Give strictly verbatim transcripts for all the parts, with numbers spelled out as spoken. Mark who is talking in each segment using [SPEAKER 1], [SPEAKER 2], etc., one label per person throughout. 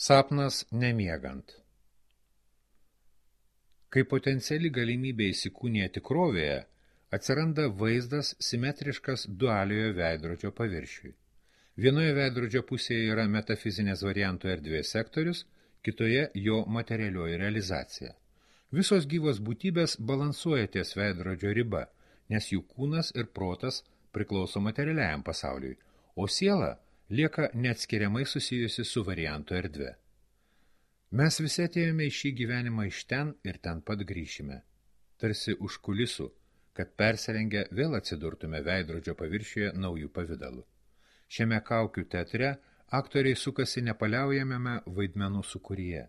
[SPEAKER 1] Sapnas nemiegant. Kai potenciali galimybė įsikūnija tikrovėje, atsiranda vaizdas simetriškas dualiojo veidrodžio paviršiui. Vienoje veidrodžio pusėje yra metafizinės variantų erdvės sektorius, kitoje jo materialioji realizacija. Visos gyvos būtybės balansuoja ties veidrodžio riba, nes jų kūnas ir protas priklauso materialiajam pasauliui, o siela lieka neatskiriamai susijusi su variantų erdve. Mes visi atėjome į šį gyvenimą iš ten ir ten pat grįšime, tarsi už kulisų, kad persirengę vėl atsidurtume veidrodžio paviršiuje naujų pavydalų. Šiame kaukių teatre aktoriai sukasi nepaliaujamame vaidmenų sūkuryje.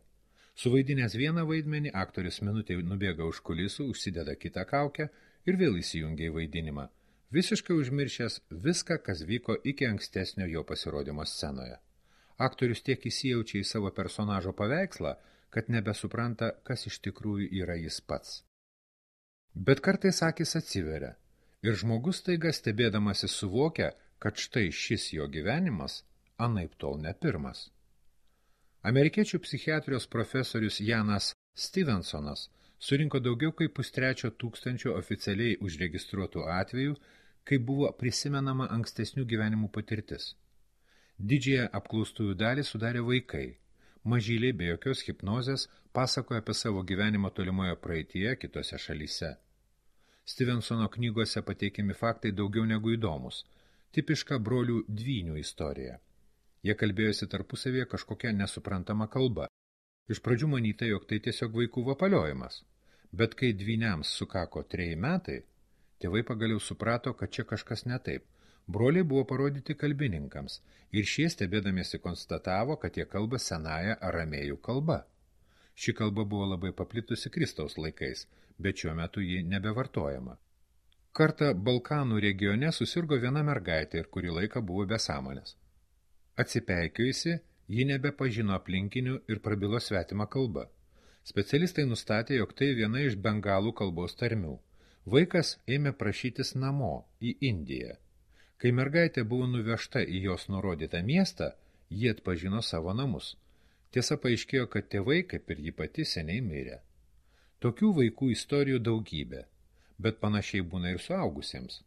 [SPEAKER 1] Suvaidinęs vieną vaidmenį, aktorius minutė nubėga už kulisų, užsideda kitą kaukę ir vėl įsijungia į vaidinimą, visiškai užmiršęs viską, kas vyko iki ankstesnio jo pasirodymo scenoje. Aktorius tiek įsijaučia į savo personažo paveikslą, kad nebesupranta, kas iš tikrųjų yra jis pats. Bet kartais akys atsiveria, ir žmogus staiga stebėdamasis suvokia, kad štai šis jo gyvenimas anaip tol ne pirmas. Amerikiečių psichiatrijos profesorius Janas Stevensonas surinko daugiau kaip pustrečio tūkstančio oficialiai užregistruotų atvejų, kai buvo prisimenama ankstesnių gyvenimų patirtis. Didžiąją apklaustųjų dalį sudarė vaikai. Mažyliai be jokios hipnozės pasakoja apie savo gyvenimą tolimoje praeityje kitose šalyse. Stevensono knygose pateikiami faktai daugiau negu įdomus. Tipiška brolių dvynių istorija. Jie kalbėjosi tarpusavėje kažkokia nesuprantama kalba. Iš pradžių manyta, jog tai tiesiog vaikų vapaliojimas. Bet kai dvyniams sukako treji metai, tėvai pagaliau suprato, kad čia kažkas ne taip. Broliai buvo parodyti kalbininkams ir šie stebėdamiesi konstatavo, kad jie kalba senąją aramėjų kalba. Ši kalba buvo labai paplitusi Kristaus laikais, bet šiuo metu ji nebevartojama. Kartą Balkanų regione susirgo viena mergaitė ir kurį laiką buvo be sąmonės. Atsipeikėjusi, ji nebepažino aplinkinių ir prabilo svetimą kalbą. Specialistai nustatė, jog tai viena iš bengalų kalbos tarmių. Vaikas ėmė prašytis namo, į Indiją. Kai mergaitė buvo nuvežta į jos nurodytą miestą, ji atpažino savo namus. Tiesa, paaiškėjo, kad tėvai, kaip ir ji pati, seniai mirė. Tokių vaikų istorijų daugybė, bet panašiai būna ir suaugusiems.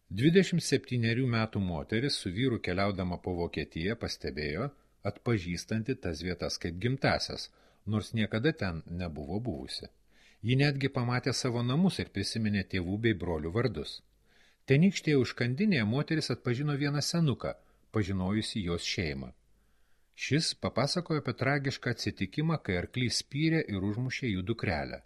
[SPEAKER 1] dvidešimt septynerių metų moteris su vyru keliaudama po Vokietiją pastebėjo, atpažįstanti tas vietas kaip gimtasias, nors niekada ten nebuvo buvusi. Ji netgi pamatė savo namus ir prisiminė tėvų bei brolių vardus. Tenykštėje užkandinėje moteris atpažino vieną senuką, pažinojusi jos šeimą. Šis papasakojo apie tragišką atsitikimą, kai arklys spyrė ir užmušė jų dukrelę.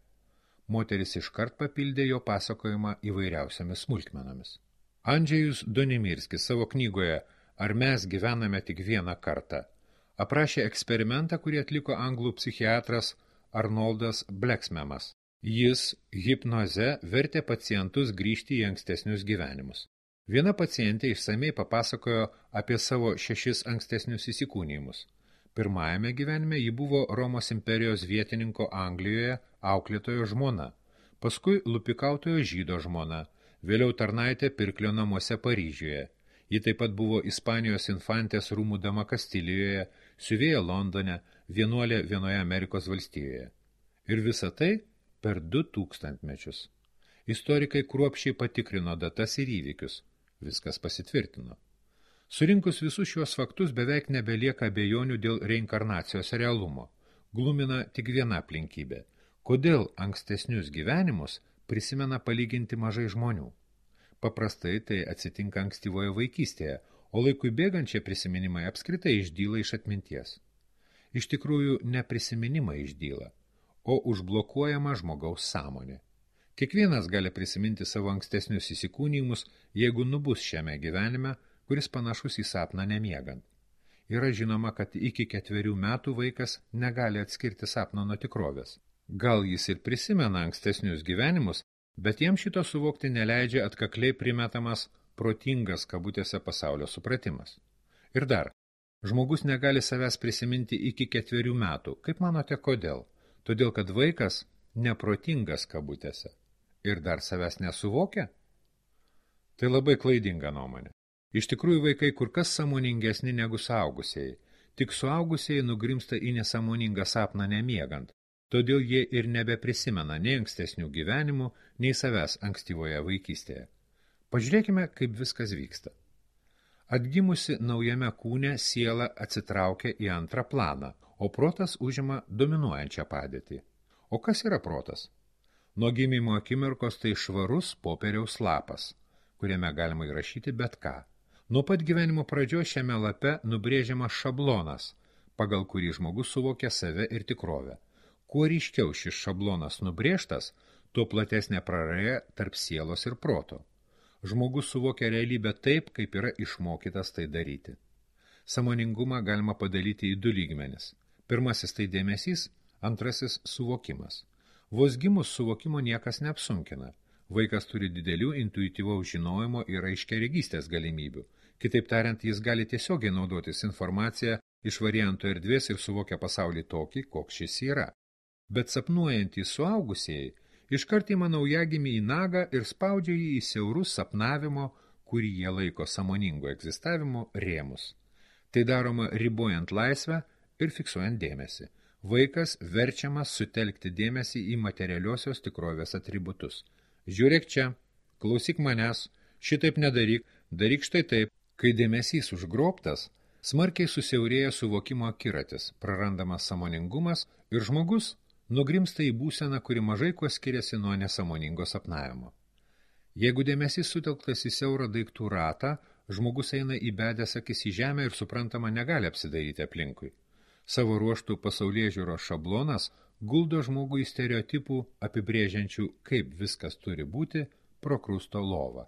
[SPEAKER 1] Moteris iškart papildė jo pasakojimą įvairiausiamis smulkmenomis. Andžejus Donimirskis savo knygoje Ar mes gyvename tik vieną kartą aprašė eksperimentą, kurį atliko anglų psichiatras Arnoldas Bleksmemas. Jis hipnoze vertė pacientus grįžti į ankstesnius gyvenimus. Viena pacientė išsamei papasakojo apie savo šešis ankstesnius įsikūnijimus. Pirmajame gyvenime ji buvo Romos imperijos vietininko Anglijoje auklėtojo žmona, paskui lupikautojo žydo žmona, vėliau tarnaitė pirklio namuose Paryžiuje. Ji taip pat buvo Ispanijos infantės rūmų dama Kastilijoje, siuvėja Londone, vienuolė vienoje Amerikos valstijoje. Ir visa tai per du tūkstantmečius. Istorikai kruopščiai patikrino datas ir įvykius. Viskas pasitvirtino. Surinkus visus šios faktus beveik nebelieka abejonių dėl reinkarnacijos realumo. Glumina tik viena aplinkybė. Kodėl ankstesnius gyvenimus prisimena palyginti mažai žmonių? Paprastai tai atsitinka ankstyvoje vaikystėje, o laikui bėgančie prisiminimai apskritai išdyla iš atminties. Iš tikrųjų, ne prisiminimai išdyla, o užblokuojama žmogaus sąmonė. Kiekvienas gali prisiminti savo ankstesnius įsikūnijimus, jeigu nubus šiame gyvenime, kuris panašus į sapną nemiegant. Yra žinoma, kad iki ketverių metų vaikas negali atskirti sapno nuo tikrovės. Gal jis ir prisimena ankstesnius gyvenimus, bet jam šito suvokti neleidžia atkakliai primetamas protingas kabutėse pasaulio supratimas. Ir dar, žmogus negali savęs prisiminti iki ketverių metų. Kaip manote, kodėl? Todėl, kad vaikas neprotingas kabutėse. Ir dar savęs nesuvokia? Tai labai klaidinga nuomonė. Iš tikrųjų vaikai kur kas sąmoningesni negu suaugusieji. Tik suaugusieji nugrimsta į nesąmoningą sapną nemiegant, todėl jie ir nebeprisimena nei ankstesnių gyvenimų, nei savęs ankstyvoje vaikystėje. Pažiūrėkime, kaip viskas vyksta. Atgimusi naujame kūne siela atsitraukia į antrą planą, o protas užima dominuojančią padėtį. O kas yra protas? Nuo gimimo akimirkos tai švarus popieriaus lapas, kuriame galima įrašyti bet ką. Nuo pat gyvenimo pradžios šiame lape nubrėžiamas šablonas, pagal kurį žmogus suvokia save ir tikrovę. Kuo ryškiau šis šablonas nubrėžtas, tuo platesnė praraja tarp sielos ir proto. Žmogus suvokia realybę taip, kaip yra išmokytas tai daryti. Sąmoningumą galima padalyti į du lygmenis. Pirmasis tai dėmesys, antrasis suvokimas. Vos gimus suvokimo niekas neapsunkina. Vaikas turi didelių intuityvaus žinojimo ir aiškiaregystės galimybių. Kitaip tariant, jis gali tiesiogiai naudotis informaciją iš variantų erdvės ir suvokia pasaulį tokį, koks šis yra. Bet sapnuojantys suaugusieji iškart ima naujagimį į nagą ir spaudžia jį į siaurus sapnavimo, kurį jie laiko sąmoningo egzistavimo, rėmus. Tai daroma ribojant laisvę ir fiksuojant dėmesį. Vaikas verčiamas sutelkti dėmesį į materialiosios tikrovės atributus. Žiūrėk čia, klausyk manęs, šitaip nedaryk, daryk štai taip. Kai dėmesys užgrobtas, smarkiai susiaurėja suvokimo akiratis, prarandamas sąmoningumas ir žmogus nugrimsta į būseną, kuri mažai kuo skiriasi nuo nesąmoningo sapnavimo. Jeigu dėmesys sutelktas į siaurą daiktų ratą, žmogus eina įbedęs akis į žemę ir suprantama negali apsidairyti aplinkui. Savo ruoštų pasaulėžiūros šablonas guldo žmogų į stereotipų apibrėžiančių, kaip viskas turi būti, prokrusto lovą.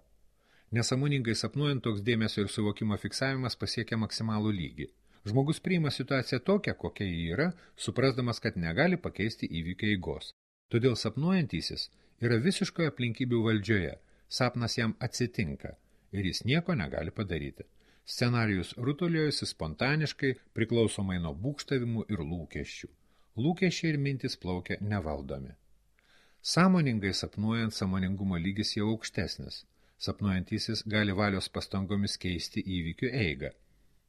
[SPEAKER 1] Nesąmoningai sapnuojant, toks dėmesio ir suvokimo fiksavimas pasiekia maksimalų lygį. Žmogus priima situaciją tokią, kokia ji yra, suprasdamas, kad negali pakeisti įvykio eigos. Todėl sapnuojantysis yra visiškoje aplinkybių valdžioje, sapnas jam atsitinka ir jis nieko negali padaryti. Scenarijus rutuliojasi spontaniškai, priklausomai nuo būgštavimų ir lūkesčių. Lūkesčiai ir mintis plaukia nevaldomi. Sąmoningai sapnuojant, sąmoningumo lygis jau aukštesnis. Sapnuojantysis gali valios pastangomis keisti įvykių eigą.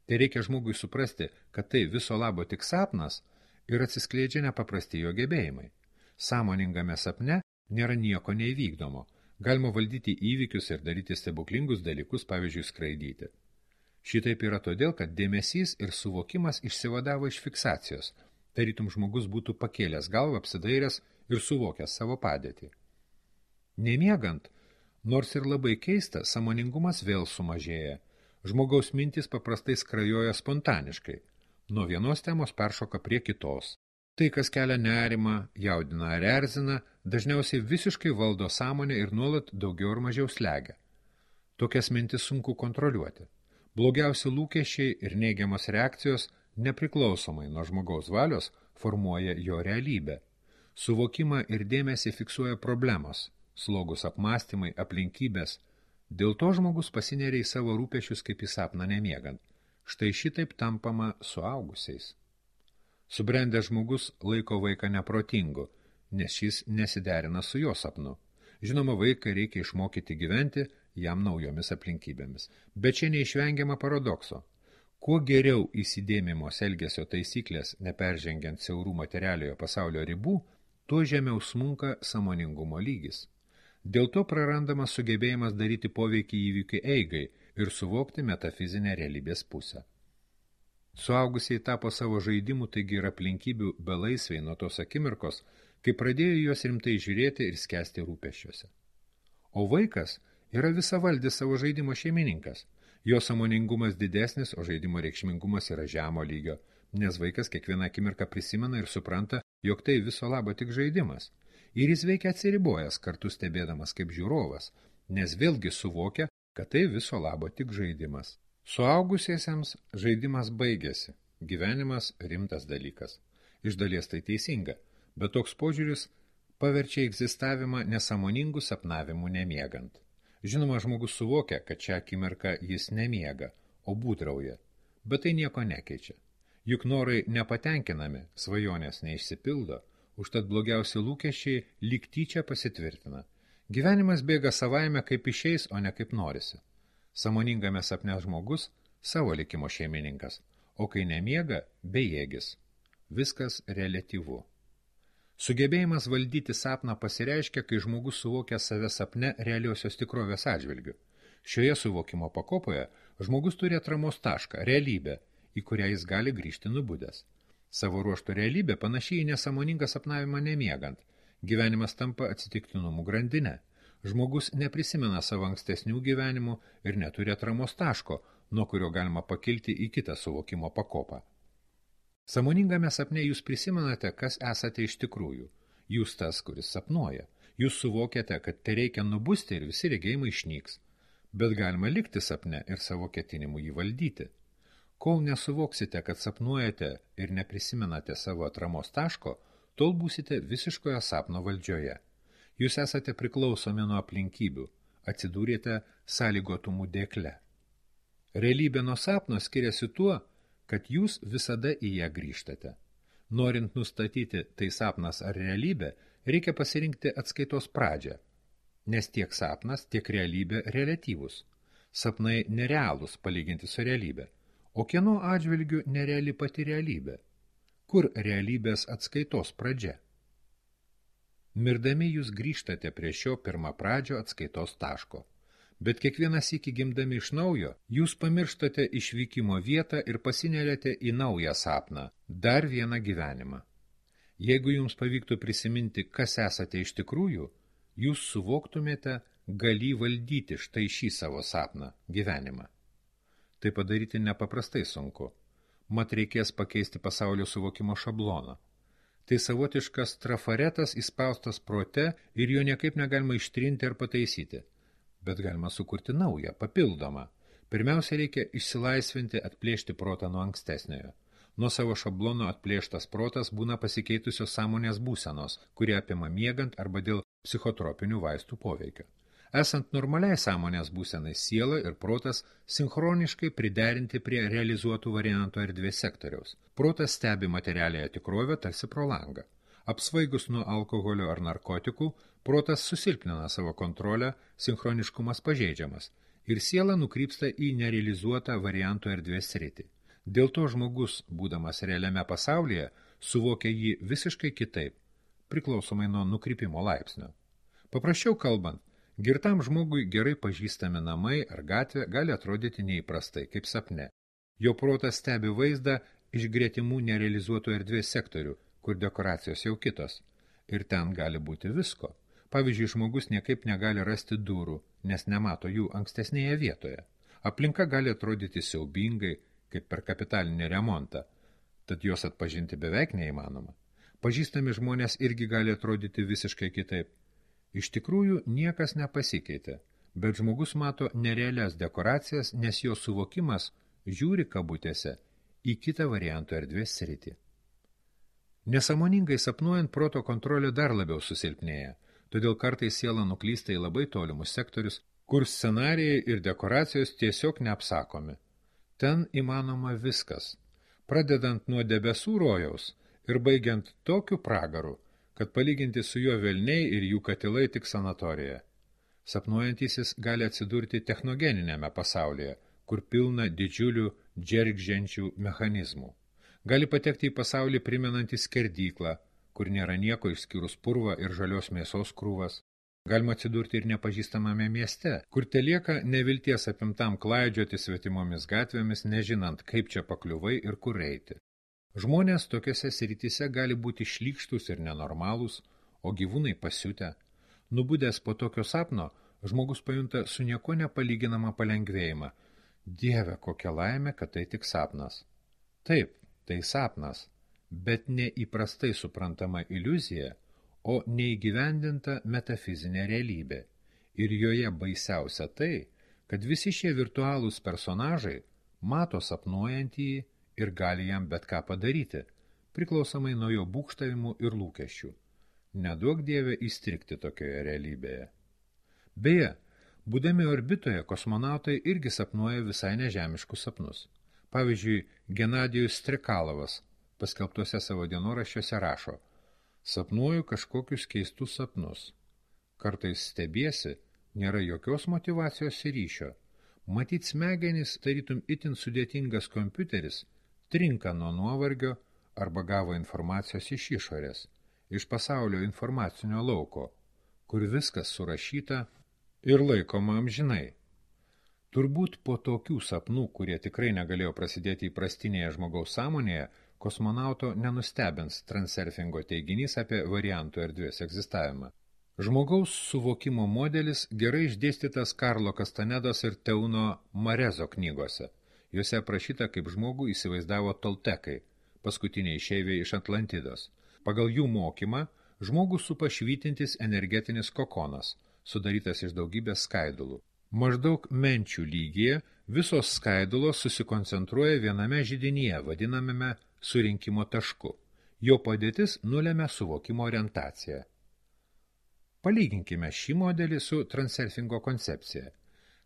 [SPEAKER 1] Tai reikia žmogui suprasti, kad tai viso labo tik sapnas ir atsiskleidžia nepaprasti jo gebėjimai. Sąmoningame sapne nėra nieko neįvykdomo. Galima valdyti įvykius ir daryti stebuklingus dalykus, pavyzdžiui, skraidyti. Šitaip yra todėl, kad dėmesys ir suvokimas išsivadavo iš fiksacijos. Tarytum žmogus būtų pakėlęs galvą, apsidairęs ir suvokęs savo padėtį. Nemiegant, nors ir labai keista, sąmoningumas vėl sumažėja. Žmogaus mintis paprastai skrajoja spontaniškai. Nuo vienos temos peršoka prie kitos. Tai, kas kelia nerimą, jaudina ar erzina, dažniausiai visiškai valdo sąmonę ir nuolat daugiau ar mažiau slegia. Tokias mintis sunku kontroliuoti. Blogiausi lūkesčiai ir neigiamos reakcijos nepriklausomai nuo žmogaus valios formuoja jo realybę. Suvokimą ir dėmesį fiksuoja problemos, slogus apmąstymai, aplinkybės. Dėl to žmogus pasineria į savo rūpešius kaip į sapną nemiegant. Štai šitaip tampama suaugusiais. Subrendęs žmogus laiko vaiką neprotingu, nes šis nesiderina su jo sapnu. Žinoma, vaiką reikia išmokyti gyventi jam naujomis aplinkybėmis. Bet čia neišvengiama paradokso. Kuo geriau įsidėmimos elgesio taisyklės, neperžengiant siaurų materialiojo pasaulio ribų, tuo žemiau smunka sąmoningumo lygis. Dėl to prarandamas sugebėjimas daryti poveikį įvykių eigai ir suvokti metafizinę realybės pusę. Suaugusiai tapo savo žaidimų, taigi ir aplinkybių belaisviai nuo tos akimirkos, kai pradėjo juos rimtai žiūrėti ir skęsti rūpesčiuose. O vaikas yra visavaldis savo žaidimo šeimininkas. Jo sąmoningumas didesnis, o žaidimo reikšmingumas yra žemo lygio, nes vaikas kiekvieną akimirką prisimena ir supranta, jog tai viso labo tik žaidimas. Ir jis veikia atsiribojęs, kartu stebėdamas kaip žiūrovas, nes vėlgi suvokia, kad tai viso labo tik žaidimas. Suaugusiesiems žaidimas baigėsi, gyvenimas rimtas dalykas. Iš dalies tai teisinga, bet toks požiūris paverčia egzistavimą nesąmoningų sapnavimų nemiegant. Žinoma, žmogus suvokia, kad šią akimirką jis nemiega, o būdrauja, bet tai nieko nekeičia. Juk norai nepatenkinami, svajonės neišsipildo, užtat blogiausi lūkesčiai lyg tyčia pasitvirtina. Gyvenimas bėga savaime kaip išeis, o ne kaip norisi. Sąmoningame sapne žmogus savo likimo šeimininkas, o kai nemiega, bejėgis. Viskas reliatyvu. Sugebėjimas valdyti sapną pasireiškia, kai žmogus suvokia save sapne realiosios tikrovės atžvilgiu. Šioje suvokimo pakopoje žmogus turi atramos tašką, realybę, į kurią jis gali grįžti nubudęs. Savo ruožtų realybė panašiai į nesąmoningą sapnavimą nemiegant. Gyvenimas tampa atsitiktinumų grandinę. Žmogus neprisimena savo ankstesnių gyvenimų ir neturi atramos taško, nuo kurio galima pakilti į kitą suvokimo pakopą. Sąmoningame sapne jūs prisimenate, kas esate iš tikrųjų. Jūs tas, kuris sapnuoja. Jūs suvokiate, kad tai reikia nubusti ir visi regėjimai išnyks. Bet galima likti sapne ir savo ketinimu jį valdyti. Kol nesuvoksite, kad sapnuojate ir neprisimenate savo atramos taško, tol būsite visiškoje sapno valdžioje. Jūs esate priklausomi nuo aplinkybių, atsidūrėte sąlygotumų dėkle. Realybė nuo sapno skiriasi tuo, kad jūs visada į ją grįžtate. Norint nustatyti, tai sapnas ar realybė, reikia pasirinkti atskaitos pradžią, nes tiek sapnas, tiek realybė reliatyvus. Sapnai nerealūs palyginti su realybė, o kieno atžvilgiu nereali pati realybė. Kur realybės atskaitos pradžia? Mirdami jūs grįžtate prie šio pirmą pradžio atskaitos taško. Bet kiekvienas iki gimdami iš naujo, jūs pamirštate išvykimo vietą ir pasineriate į naują sapną, dar vieną gyvenimą. Jeigu jums pavyktų prisiminti, kas esate iš tikrųjų, jūs suvoktumėte, galį valdyti štai šį savo sapną, gyvenimą. Tai padaryti nepaprastai sunku. Mat reikės pakeisti pasaulio suvokimo šabloną. Tai savotiškas trafaretas įspaustas prote ir jo niekaip negalima ištrinti ar pataisyti. Bet galima sukurti naują, papildomą. Pirmiausia, reikia išsilaisvinti, atplėšti protą nuo ankstesniojo. Nuo savo šablono atplėštas protas būna pasikeitusios sąmonės būsenos, kurie apima miegant arba dėl psichotropinių vaistų poveikio. Esant normaliai sąmonės būsenai, siela ir protas sinchroniškai priderinti prie realizuotų variantų erdvės sektoriaus. Protas stebi materialiąją tikrovę tarsi pro langą. Apsvaigus nuo alkoholio ar narkotikų, protas susilpnina savo kontrolę, sinchroniškumas pažeidžiamas ir siela nukrypsta į nerealizuotą variantų erdvės sritį. Dėl to žmogus, būdamas realiame pasaulyje, suvokia jį visiškai kitaip, priklausomai nuo nukrypimo laipsnio. Paprasčiau kalbant, girtam žmogui gerai pažįstami namai ar gatvė gali atrodyti neįprastai, kaip sapne. Jo protas stebi vaizdą iš gretimų nerealizuotų erdvės sektorių, kur dekoracijos jau kitos. Ir ten gali būti visko. Pavyzdžiui, žmogus niekaip negali rasti durų, nes nemato jų ankstesnėje vietoje. Aplinka gali atrodyti siaubingai, kaip per kapitalinį remontą, tad jos atpažinti beveik neįmanoma. Pažįstami žmonės irgi gali atrodyti visiškai kitaip. Iš tikrųjų, niekas nepasikeitė, bet žmogus mato nerealias dekoracijas, nes jo suvokimas žiūri kabutėse į kitą variantų erdvės sritį. Nesąmoningai sapnuojant, proto kontrolė dar labiau susilpnėja, todėl kartais siela nuklysta į labai tolimus sektorius, kur scenarijai ir dekoracijos tiesiog neapsakomi. Ten įmanoma viskas, pradedant nuo debesų rojaus ir baigiant tokiu pragaru, kad palyginti su juo velniai ir jų katilai tik sanatorija. Sapnuojantysis gali atsidurti technogeninėme pasaulyje, kur pilna didžiulių džergženčių mechanizmų. Gali patekti į pasaulį primenantį skerdyklą, kur nėra nieko išskyrus purvą ir žalios mėsos krūvas. Galima atsidurti ir nepažįstamame mieste, kur telieka nevilties apimtam klaidžioti svetimomis gatvėmis, nežinant, kaip čia pakliuvai ir kur eiti. Žmonės tokiose srityse gali būti šlykštus ir nenormalūs, o gyvūnai pasiutę. Nubudęs po tokio sapno, žmogus pajunta su nieko nepalyginamą palengvėjimą. Dieve, kokia laimė, kad tai tik sapnas. Taip, tai sapnas, bet neįprastai suprantama iliuzija, o neįgyvendinta metafizinė realybė. Ir joje baisiausia tai, kad visi šie virtualūs personažai mato sapnuojantįjį ir gali jam bet ką padaryti, priklausomai nuo jo būgštavimų ir lūkesčių. Neduok Dieve įstrigti tokioje realybėje. Beje, būdami orbitoje, kosmonautai irgi sapnuoja visai nežemiškus sapnus. Pavyzdžiui, Genadijus Strikalovas paskelbtuose savo dienoraščiuose rašo: sapnuoju kažkokius keistus sapnus. Kartais stebiesi, nėra jokios motyvacijos ir ryšio. Matyt, smegenys, tarytum itin sudėtingas kompiuteris, trinka nuo nuovargio arba gavo informacijos iš išorės, iš pasaulio informacinio lauko, kur viskas surašyta ir laikoma amžinai. Turbūt po tokių sapnų, kurie tikrai negalėjo prasidėti įprastinėje žmogaus sąmonėje, kosmonauto nenustebins transurfingo teiginys apie variantų erdvės egzistavimą. Žmogaus suvokimo modelis gerai išdėstytas Karlo Kastanedos ir Teuno Marezo knygose. Juose aprašyta, kaip žmogų įsivaizdavo toltekai, paskutiniai išeiviai iš Atlantidos. Pagal jų mokymą, žmogų supa švytintis energetinis kokonas, sudarytas iš daugybės skaidulų. Maždaug menčių lygyje visos skaidulos susikoncentruoja viename židinyje, vadinamame surinkimo tašku. Jo padėtis nulemia suvokimo orientaciją. Palyginkime šį modelį su transurfingo koncepcija.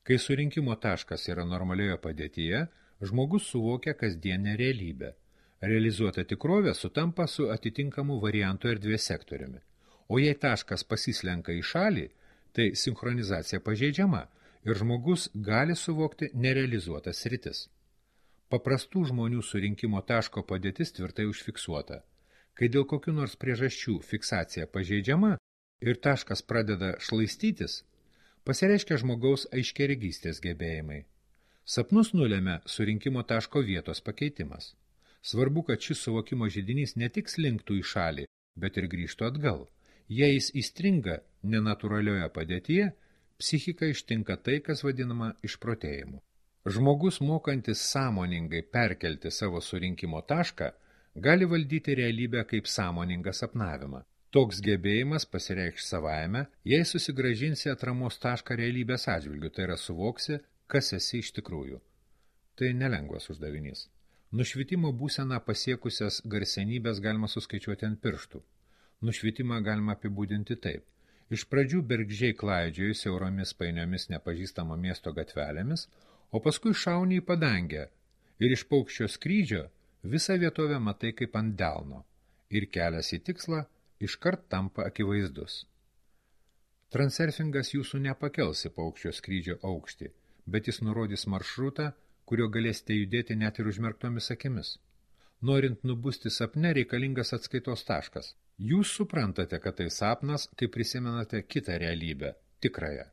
[SPEAKER 1] Kai surinkimo taškas yra normalioje padėtyje, žmogus suvokia kasdienę realybę. Realizuota tikrovė sutampa su atitinkamu variantų erdvės sektoriumi. O jei taškas pasislenka į šalį, tai sinchronizacija pažeidžiama ir žmogus gali suvokti nerealizuotas sritis. Paprastų žmonių surinkimo taško padėtis tvirtai užfiksuota. Kai dėl kokių nors priežasčių fiksacija pažeidžiama ir taškas pradeda šlaistytis, pasireiškia žmogaus aiškiaregystės gebėjimai. Sapnus nulemia surinkimo taško vietos pakeitimas. Svarbu, kad šis suvokimo židinys ne tik slinktų į šalį, bet ir grįžtų atgal. Jei jis įstringa nenatūralioje padėtyje, psichika ištinka tai, kas vadinama išprotėjimu. Žmogus, mokantis sąmoningai perkelti savo surinkimo tašką, gali valdyti realybę kaip sąmoningą sapnavimą. Toks gebėjimas pasireikš savaime, jei susigrąžinsi atramos tašką realybės atžvilgiu, tai yra suvoksi, kas esi iš tikrųjų. Tai nelengvas uždavinys. Nušvitimo būseną pasiekusias garsenybės galima suskaičiuoti ant pirštų. Nušvitimą galima apibūdinti taip. Iš pradžių bergždžiai klaidžioji siauromis painiomis nepažįstamo miesto gatvelėmis, o paskui šauni į padangę ir iš paukščio skrydžio visą vietovę matai kaip ant delno ir kelias į tikslą iškart tampa akivaizdus. Transurfingas jūsų nepakels į paukščio skrydžio aukštį, bet jis nurodys maršrutą, kurio galėsite judėti net ir užmerktomis akimis. Norint nubusti sapne, reikalingas atskaitos taškas. Jūs suprantate, kad tai sapnas, kai prisimenate kitą realybę, tikrąją.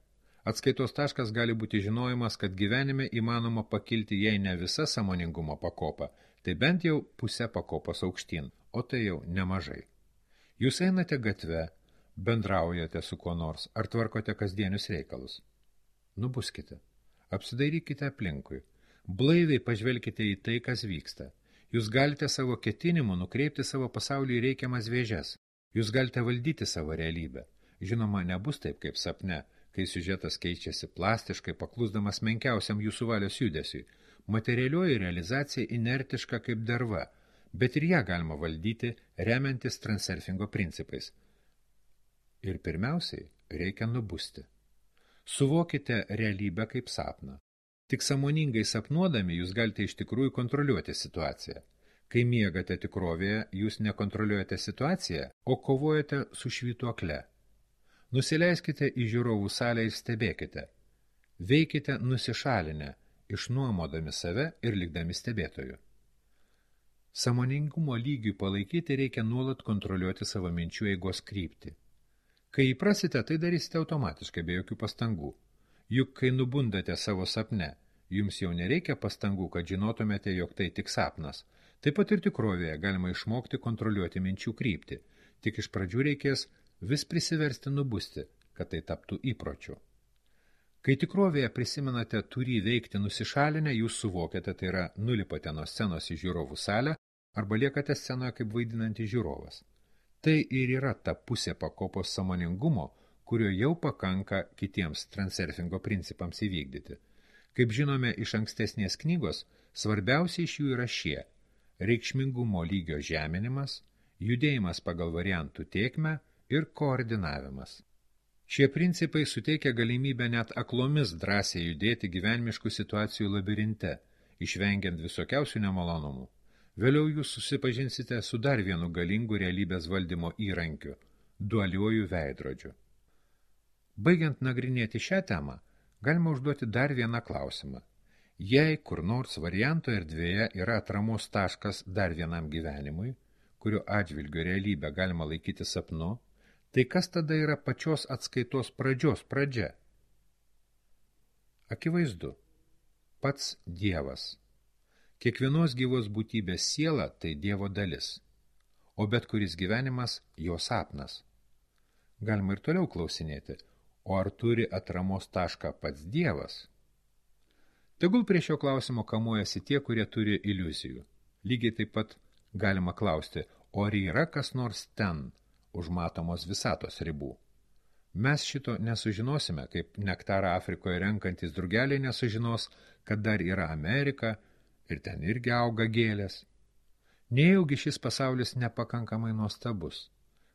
[SPEAKER 1] Atskaitos taškas gali būti žinojimas, kad gyvenime įmanoma pakilti jei ne visa sąmoningumo pakopa, tai bent jau pusę pakopos aukštyn, o tai jau nemažai. Jūs einate gatve, bendraujate su kuo nors, ar tvarkote kasdienius reikalus. Nubuskite, apsidairykite aplinkui, blaiviai pažvelkite į tai, kas vyksta. Jūs galite savo ketinimu nukreipti savo pasaulį į reikiamas vėžes. Jūs galite valdyti savo realybę. Žinoma, nebus taip kaip sapne, kai siužetas keičiasi plastiškai, paklusdamas menkiausiam jūsų valios judesiui. Materialioji realizacija inertiška kaip derva, bet ir ją galima valdyti, remiantis transurfingo principais. Ir pirmiausiai reikia nubusti. Suvokite realybę kaip sapną. Tik sąmoningai sapnuodami jūs galite iš tikrųjų kontroliuoti situaciją. Kai miegate tikrovėje, jūs nekontroliuojate situaciją, o kovojate su švytuokle. Nusileiskite į žiūrovų salę ir stebėkite. Veikite nusišalinę, išnuomodami save ir likdami stebėtojų. Sąmoningumo lygiui palaikyti reikia nuolat kontroliuoti savo minčių eigos kryptį. Kai įprasite, tai darysite automatiškai be jokių pastangų. Juk kai nubundate savo sapne, jums jau nereikia pastangų, kad žinotumėte, jog tai tik sapnas. Taip pat ir tikrovėje galima išmokti kontroliuoti minčių kryptį. Tik iš pradžių reikės vis prisiversti nubusti, kad tai taptų įpročiu. Kai tikrovėje prisimenate turį veikti nusišalinę, jūs suvokiate, tai yra nulipate nuo scenos į žiūrovų salę arba liekate scenoje kaip vaidinantis žiūrovas. Tai ir yra ta pusė pakopos sąmoningumo, kurio jau pakanka kitiems transurfingo principams įvykdyti. Kaip žinome iš ankstesnės knygos, svarbiausia iš jų yra šie – reikšmingumo lygio žeminimas, judėjimas pagal variantų tėkmę ir koordinavimas. Šie principai suteikia galimybę net aklomis drąsiai judėti gyvenimiškų situacijų labirinte, išvengiant visokiausių nemalonumų. Vėliau jūs susipažinsite su dar vienu galingu realybės valdymo įrankiu – dualiuoju veidrodžiu. Baigiant nagrinėti šią temą, galima užduoti dar vieną klausimą. Jei kur nors varianto erdvėje yra atramos taškas dar vienam gyvenimui, kurio atžvilgiu realybę galima laikyti sapnu, tai kas tada yra pačios atskaitos pradžios pradžia? Akivaizdu, pats Dievas. Kiekvienos gyvos būtybės siela tai Dievo dalis, o bet kuris gyvenimas jo sapnas. Galima ir toliau klausinėti, o ar turi atramos tašką pats Dievas? Tegul prie šio klausimo kamuojasi tie, kurie turi iliuzijų. Lygiai taip pat galima klausti, o ar yra kas nors ten, už matomos visatos ribų. Mes šito nesužinosime, kaip nektarą Afrikoje renkantis drugeliai nesužinos, kad dar yra Amerika ir ten irgi auga gėlės. Nejaugi šis pasaulis nepakankamai nuostabus.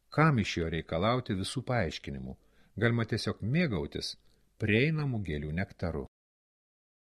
[SPEAKER 1] Kam iš jo reikalauti visų paaiškinimų? Galima tiesiog mėgautis prieinamų gėlių nektaru.